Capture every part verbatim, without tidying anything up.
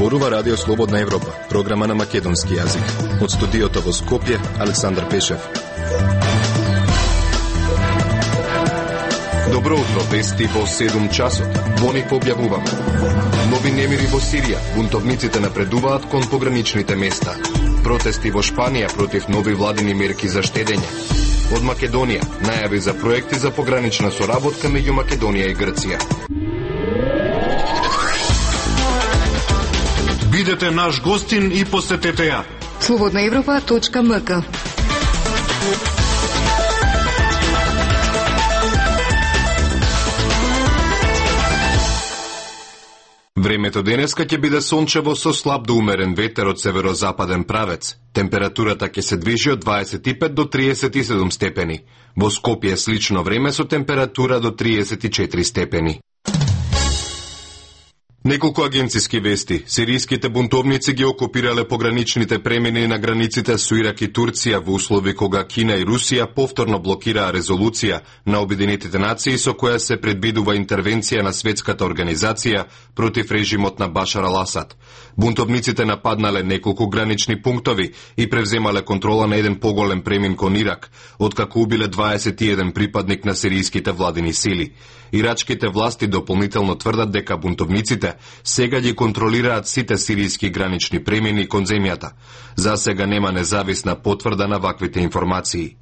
Зборува Радио Слободна Европа, програма на македонски јазик. Од студиото во Скопје, Александар Пешев. Добро утро, вести во седум часот. Во них објавуваме. Нови немири во Сирија, бунтовниците напредуваат кон пограничните места. Протести во Шпанија против нови владини мерки за штедење. Од Македонија, најави за проекти за погранична соработка меѓу Македонија и Грција. Бидете наш гостин и посетете ја. слободна европа точка ем ка. Времето денеска ќе биде сончево со слаб до умерен ветер од северозападен правец. Температурата ќе се движи од дваесет и пет до триесет и седум степени. Во Скопје слично време со температура до триесет и четири степени. Неколку агенциски вести. Сиријските бунтовници ги окупирале пограничните премини на границите со Ирак и Турција во услови кога Кина и Русија повторно блокираа резолуција на Обединетите нации со која се предвидува интервенција на светската организација против режимот на Башар ал-Асад. Бунтовниците нападнале неколку гранични пунктови и превземале контрола на еден поголем премин кон Ирак, откако убиле дваесет и еден припадник на сиријските владини сили. Ирачките власти дополнително тврдат дека бунтовниците сега ги контролираат сите сиријски гранични премини кон земјата. За сега нема независна потврда на ваквите информации.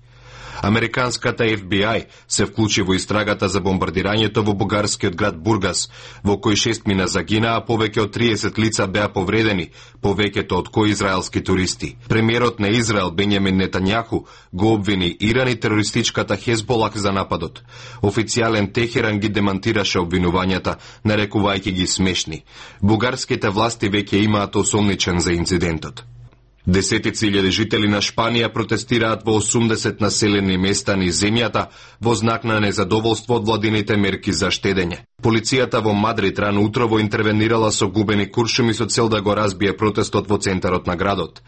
Американската Еф Би Ај се вклучи во истрагата за бомбардирањето во бугарскиот град Бургас, во кој шест мина загинаа, повеќе од триесет лица беа повредени, повеќето од кои израелски туристи. Премиерот на Израел Бенјамин Нетањаху го обвини Иран и терористичката Хезболах за нападот. Официјален Техеран ги демантираше обвинувањата, нарекувајќи ги смешни. Бугарските власти веќе имаат осомничен за инцидентот. Десетици илјади жители на Шпанија протестираат во осумдесет населени места низ земјата во знак на незадоволство од владините мерки за штедење. Полицијата во Мадрид рано утрово интервенирала со губени куршуми со цел да го разбие протестот во центарот на градот.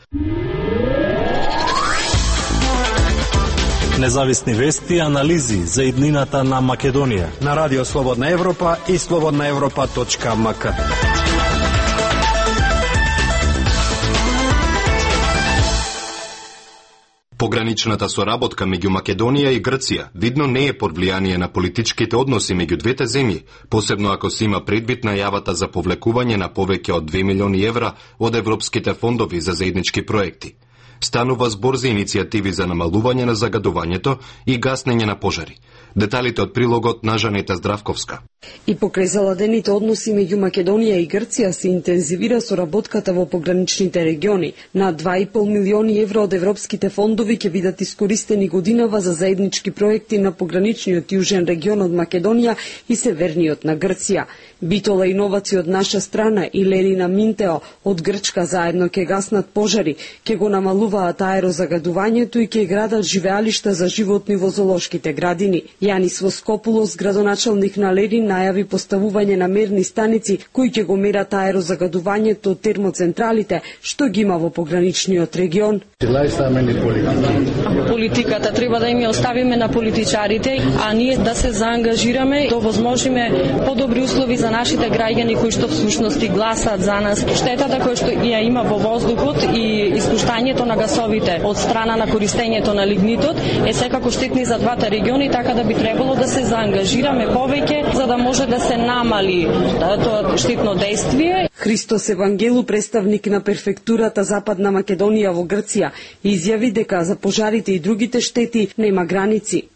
Независни вести и анализи за иднината на Македонија на Радио Слободна Европа и слободна европа точка ем ка. Пограничната соработка меѓу Македонија и Грција видно не е под влијание на политичките односи меѓу двете земји, посебно ако се има предвид најавата за повлекување на повеќе од две милиони евра од европските фондови за заеднички проекти. Станува збор за иницијативи за намалување на загадувањето и гаснење на пожари. Деталите од прилогот на Жанета Здравковска. И покрај заладените односи меѓу Македонија и Грција се интензивира соработката во пограничните региони. На два и пол милиони евра од европските фондови ќе бидат искористени годинава за заеднички проекти на пограничниот јужен регион од Македонија и северниот на Грција. Битола иновација од наша страна и Лерина Минтео од Грчка заедно ќе гаснат пожари, ќе го намалуваат аерозагадувањето и ќе градат живеалишта за животни во зоолошките градини. Јанис Воскопулос, градоначалник на Лерин, најави поставување на мерни станици кои ќе го мерат аерозагадувањето од термоцентралите што ги има во пограничниот регион. Политиката треба да им ја оставиме на политичарите, а ние да се заангажираме, да овозможиме подобри услови за нашите граѓани кои што всушност и гласаат за нас. Штетата која што ја има во воздухот и испуштањето на гасовите од страна на користењето на лигнитот е секако штетни за двата региони, така да би требало да се заангажираме повеќе за да може да се намали тоа штетно дејствие. Христос Евангелу, представник на префектурата Западна Македонија во Грција, изјави дека за пожарите и другите штети нема граници.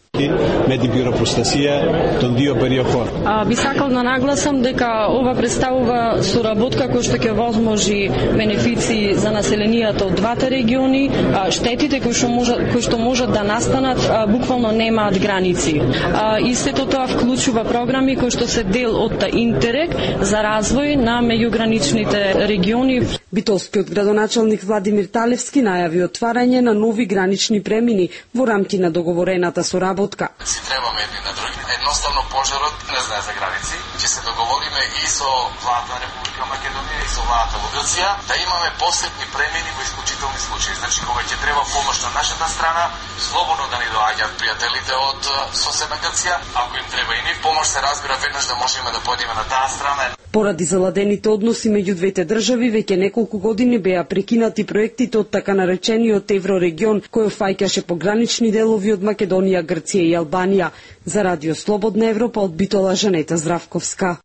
Меди бюропостасија тон дио периохор. А би сакал да нагласам дека ова представува соработка која што ќе возможи бенефиции за населенијата од двата региони. А, штетите кои што можат кои што можат да настанат а, буквално немаат граници. А, и сето тоа вклучува програми кои што се дел од Интерек за развој на меѓуграничните региони. Битолскиот градоначалник Владимир Талевски најави отварање на нови гранични премини во рамки на договорената соработка. Си требаме едни на други. Едноставно пожарот не знае за граници. ќе се договориме и со владата на Република Македонија и со владата во Грција да имаме посебни премени во исклучителни случаи. Значи кога ќе треба помош на нашата страна, слободно да ни доаѓаат пријателите од соседна Грција, ако им треба и нив помош, се разбира веднаш да можеме да појдеме на таа страна. Поради заладените односи меѓу двете држави, веќе неколку години беа прекинати проектите од така наречениот Еврорегион, кој фаќаше погранични делови од Македонија, Грција и Албанија. За Радио Слободна Европа од Битола, Жанета Здравковска.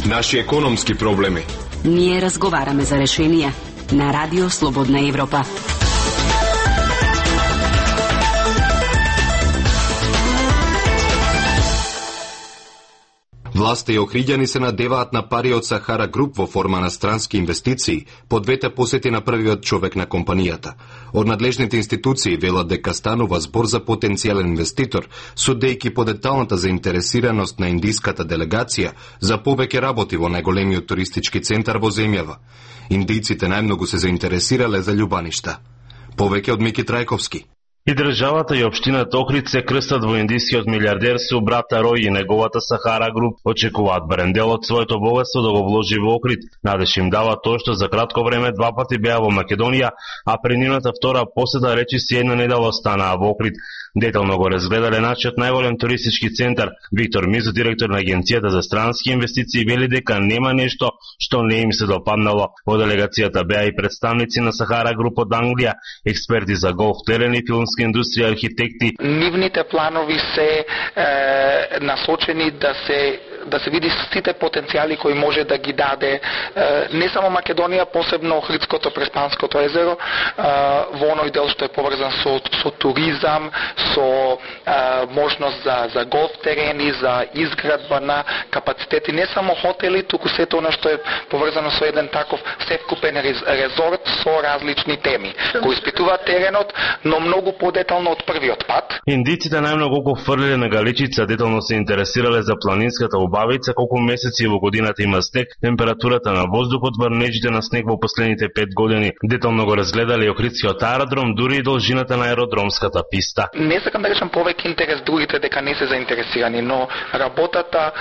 Наши економски проблеми. Ние разговараме за решенија на Радио Слободна Европа. Власта и охриѓани се надеваат на пари од Сахара Груп во форма на странски инвестиции, по двете посети на првиот човек на компанијата. Од надлежните институции велат дека станува збор за потенцијален инвеститор, судејќи по деталната заинтересираност на индиската делегација за повеќе работи во најголемиот туристички центар во земјава. Индијците најмногу се заинтересирале за љубаништа. Повеќе од Мики Трајковски. И државата и општината Охрид се крстат во индискиот милиардер Субрата Рој и неговата Сахара Груп. Очекуваат барем дел од своето богатство да го вложи во Охрид. Надеж им дава тоа што за кратко време два пати беа во Македонија, а при нивната втора посета речиси една недела останаа во Охрид. Детално го разгледале нашиот најголем туристички центар. Виктор Мизо, директор на Агенцијата за странски инвестиции, вели дека нема нешто што не им се допаднало. Во делегацијата беа и представници на Сахара Груп од Англија, експерти за голф терен и филмска индустрија, архитекти. Нивните планови се е, насочени да се да се види сите потенцијали кои може да ги даде е, не само Македонија, посебно Охридското Преспанското езеро, е, во оној дел што е поврзан со, со туризам, со е, можност за, за голф терени, за изградба на капацитети, не само хотели, туку сето она што е поврзано со еден таков севкупен резорт со различни теми, кои испитуваат теренот, но многу подетално од првиот пат. Индиците најмногу го фрлиле на Галичица, детално се интересирале за планинската убавица, колку месеци во годината има снег, температурата на воздухот, врнежите на снег во последните пет години. Детално го разгледале и Охридскиот аеродром, дури и должината на аеродромската писта. Не сакам да речам повеќе интерес, другите дека не се заинтересирани, но работата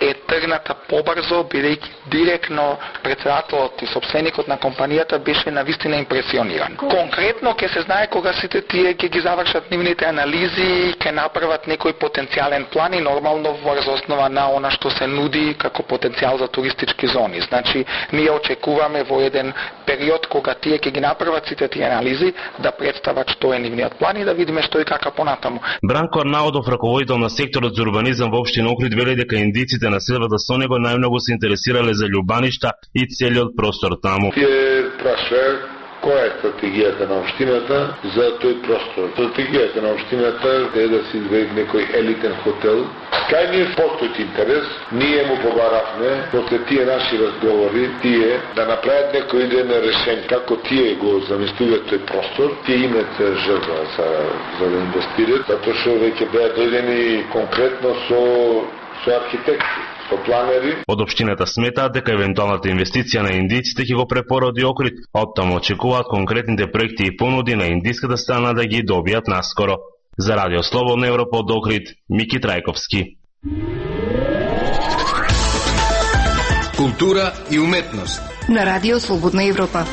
е тргната побрзо, бидејќи директно председателот и собственикот на компанијата беше навистина импресиониран. Конкретно ќе се знае кога сите тие ќе ги завршат нивните анализи, ќе направат некој потенцијален план и нормално врз основа на она што се нуди како потенцијал за туристички зони. Значи, ние очекуваме во еден период кога тие ќе ги направат сите тие анализи да представат што е нивниот план и да видиме што и како понатаму. Бранко Арнаудов, раководител на секторот за урбанизам во општина Охрид, вели дека индиците на селбата со него најмногу се интересирале за љубаништа и целиот простор таму. Тие прашаја која е стратегијата на општината за тој простор. Стратегијата на општината е да се изведе некој елитен хотел. Кај ние постои интерес, ние му побаравме, после тие наши разговори, тие да направат некој идејно решение како тие го замислуваат тој простор, тие имаат желба за, за да инвестират, затоа што веќе беа дојдени конкретно со, со архитекти. Од општината сметаат дека евентуалната инвестиција на индиците ќе го препороди Охрид, оттаму очекуваат конкретните проекти и понуди на индиската страна да ги добијат наскоро. За Радио Слободна Европа од Охрид, Мики Трајковски. Култура и уметност на Радио Слободна Европа.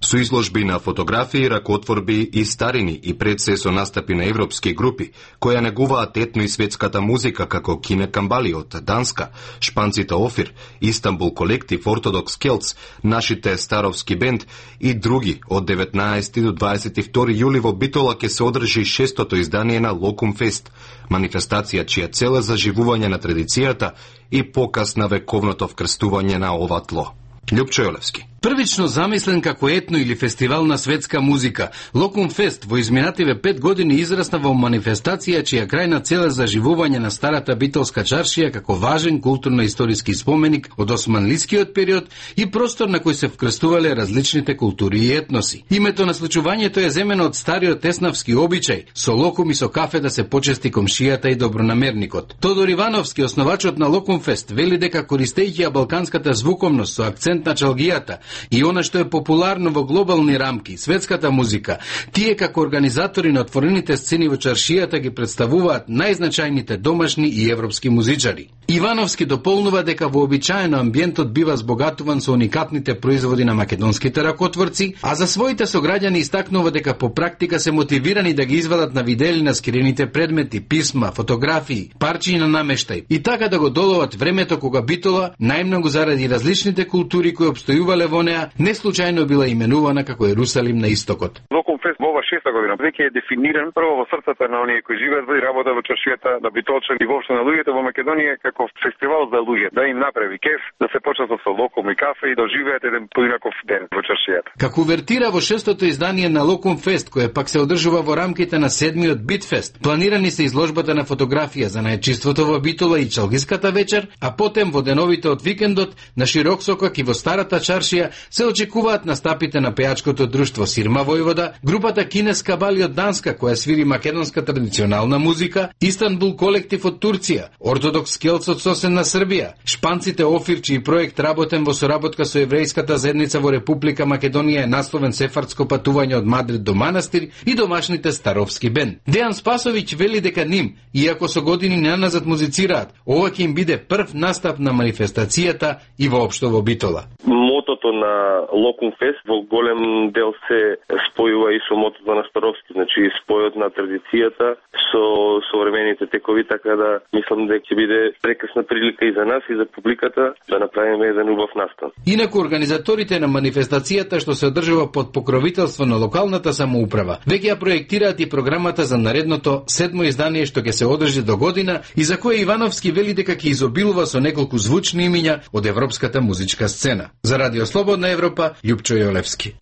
Со изложби на фотографии, ракотворби и старини и пред се со настапи на европски групи, кои негуваат етно и светската музика како Кине Камбали од Данска, шпанците Офир, Истанбул колектив, Ортодокс Келц, нашите Старовски бенд и други, од деветнаесети до дваесет и втори јули во Битола ќе се одржи шестото издание на Локум Фест, манифестација чија цел е заживување на традицијата и показ на вековното вкрстување на ова тло. Љупчо Јолевски. Првично замислен како етно или фестивал на светска музика, Локум Фест во изминативе пет години израсна во манифестација чија крајна цел е заживување на старата битолска чаршија како важен културно-историски споменик од османлискиот период и простор на кој се вкрстувале различните култури и етноси. Името на случувањето е земено од стариот теснавски обичај, со локум и со кафе да се почести комшијата и добронамерникот. Тодор Ивановски, основачот на Локум Фест, вели дека користејќи ја балканската звуковност со акцент на чалгијата, и она што е популарно во глобални рамки, светската музика, тие како организатори на отворените сцени во чаршијата ги представуваат најзначајните домашни и европски музичари. Ивановски дополнува дека вообичаено амбиентот бива збогатуван со уникатните производи на македонските ракотворци, а за своите сограѓани истакнува дека по практика се мотивирани да ги извадат на видели на скриените предмети, писма, фотографии, парчиња на намештај и така да го доловат времето кога Битола, најмногу заради различните култури кои обстојувале во неа, не случајно била именувана како Ерусалим на истокот. Локумфест во ова шеста година веќе е дефиниран прво во срцата на оние кои живеат во работа во чаршијата, на битолчани и воопшто на луѓето во Македонија како фестивал за луѓе, да им направи кеф, да се почнат со локум и кафе и да живеат еден поинаков ден во чаршијата. Како увертира во шестото издание на Локумфест, кое пак се одржува во рамките на седмиот Битфест, планирани се изложбата на фотографија за најчиството во Битола и Чалгиската вечер, а потем во деновите од викендот на широк сокак и во старата чаршија се очекуваат настапите на пејачкото друштво Сирма Војвода, групата Кинеска Бали од Данска која свири македонска традиционална музика, Истанбул колектив од Турција, ортодокс келц од Сосен на Србија, шпанците Офир чиј проект работен во соработка со еврејската заедница во Република Македонија е насловен Сефардско патување од Мадрид до манастир и домашните Старовски бенд. Дејан Спасовиќ вели дека ним, иако со години наназад музицираат, ова ќе им биде прв настап на манифестацијата и воопшто во Битола. Мотото на Локумфест во голем дел се спојува и со мотото на Старовски, значи спојот на традицијата со современите текови, така да мислам дека ќе биде прекрасна прилика и за нас и за публиката да направиме еден убав настан. Инаку организаторите на манифестацијата што се одржува под покровителство на локалната самоуправа, веќе ја проектираат и програмата за наредното седмо издание што ќе се одржи до година и за кое Ивановски вели дека ќе изобилува со неколку звучни имиња од европската музичка сцена. За Радио Слободна Европа, Љупчо Јолевски.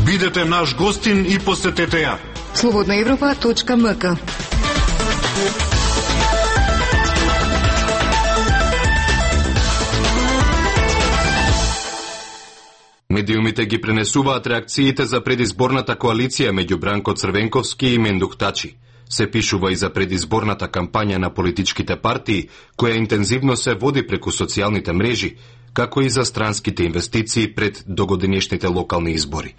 Бидете наш гостин и посетете ја. слободна европа точка ем ка. Медиумите ги пренесуваат реакциите за предизборната коалиција меѓу Бранко Црвенковски и Мендух Тачи. Се пишува и за предизборната кампања на политичките партии, која интензивно се води преку социјалните мрежи, како и за странските инвестиции пред догодинешните локални избори.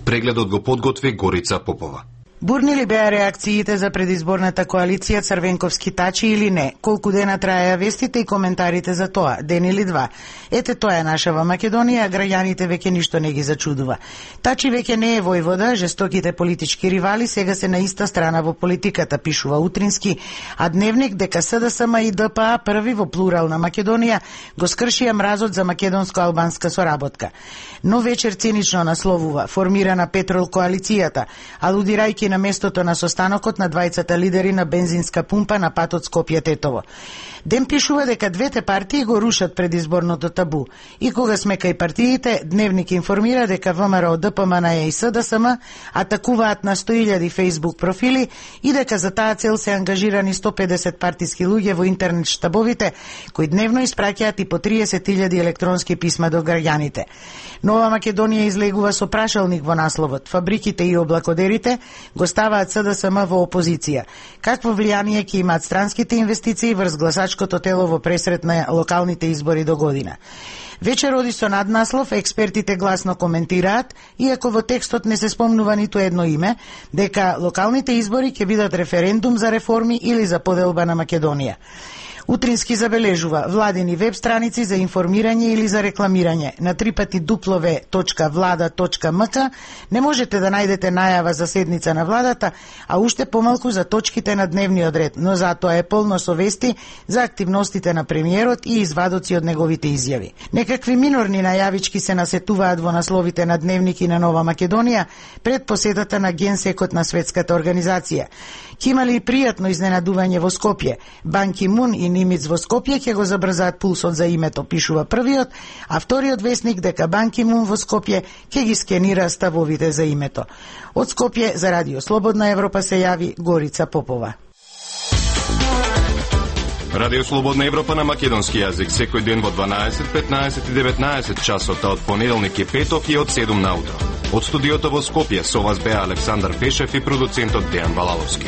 Прегледот го подготви Горица Попова. Бурни ли беа реакциите за предизборната коалиција Црвенковски Тачи или не? Колку дена траеа вестите и коментарите за тоа? Ден или два? Ете тоа е наша во Македонија, а граѓаните веќе ништо не ги зачудува. Тачи веќе не е војвода, жестоките политички ривали сега се на иста страна во политиката, пишува Утрински, а Дневник дека СДСМ и ДПА први во плурална Македонија го скршија мразот за македонско-албанска соработка. Но вечер цинично насловува формирана Петрол коалицијата, алудирајќи на местото на состанокот на двајцата лидери на бензинска пумпа на патот Скопје-Тетово. Ден пишува дека двете партии го рушат предизборното табу. И кога сме кај партиите, Дневник информира дека ВМРО, ДПМН и СДСМ атакуваат на сто илјади фејсбук профили и дека за таа цел се ангажирани сто педесет партиски луѓе во интернет штабовите, кои дневно испраќаат и по триесет илјади електронски писма до граѓаните. Нова Македонија излегува со прашалник во насловот. Фабриките и облакодерите го ставаат СДСМ во опозиција. Какво влијание ќе имаат странските инвестиции врз гласачкото тело во пресрет на локалните избори до година? Вечер оди со наднаслов, експертите гласно коментираат, иако во текстот не се спомнува ниту едно име, дека локалните избори ќе бидат референдум за реформи или за поделба на Македонија. Утрински забележува владени веб страници за информирање или за рекламирање. На трипати дуплове точка влада точка ем ка не можете да најдете најава за седница на владата, а уште помалку за точките на дневниот ред, но затоа е полно со вести за активностите на премиерот и извадоци од неговите изјави. Некакви минорни најавички се насетуваат во насловите на Дневник и на Нова Македонија пред посетата на Генсекот на Светската организација. Ке имали пријатно изненадување во Скопје. Бан Ки Мун и Нимиц во Скопје ќе го забрзаат пулсот за името, пишува првиот, а вториот вестник дека Бан Ки Мун во Скопје ќе ги скенира ставовите за името. Од Скопје за Радио Слободна Европа се јави Горица Попова. Радио Слободна Европа на македонски јазик секој ден во дванаесет, петнаесет и деветнаесет часот, од понеделник и петок и од седум наутро. Од студиото во Скопје со вас беа Александар Пешев и продуцентот Дејан Балаловски.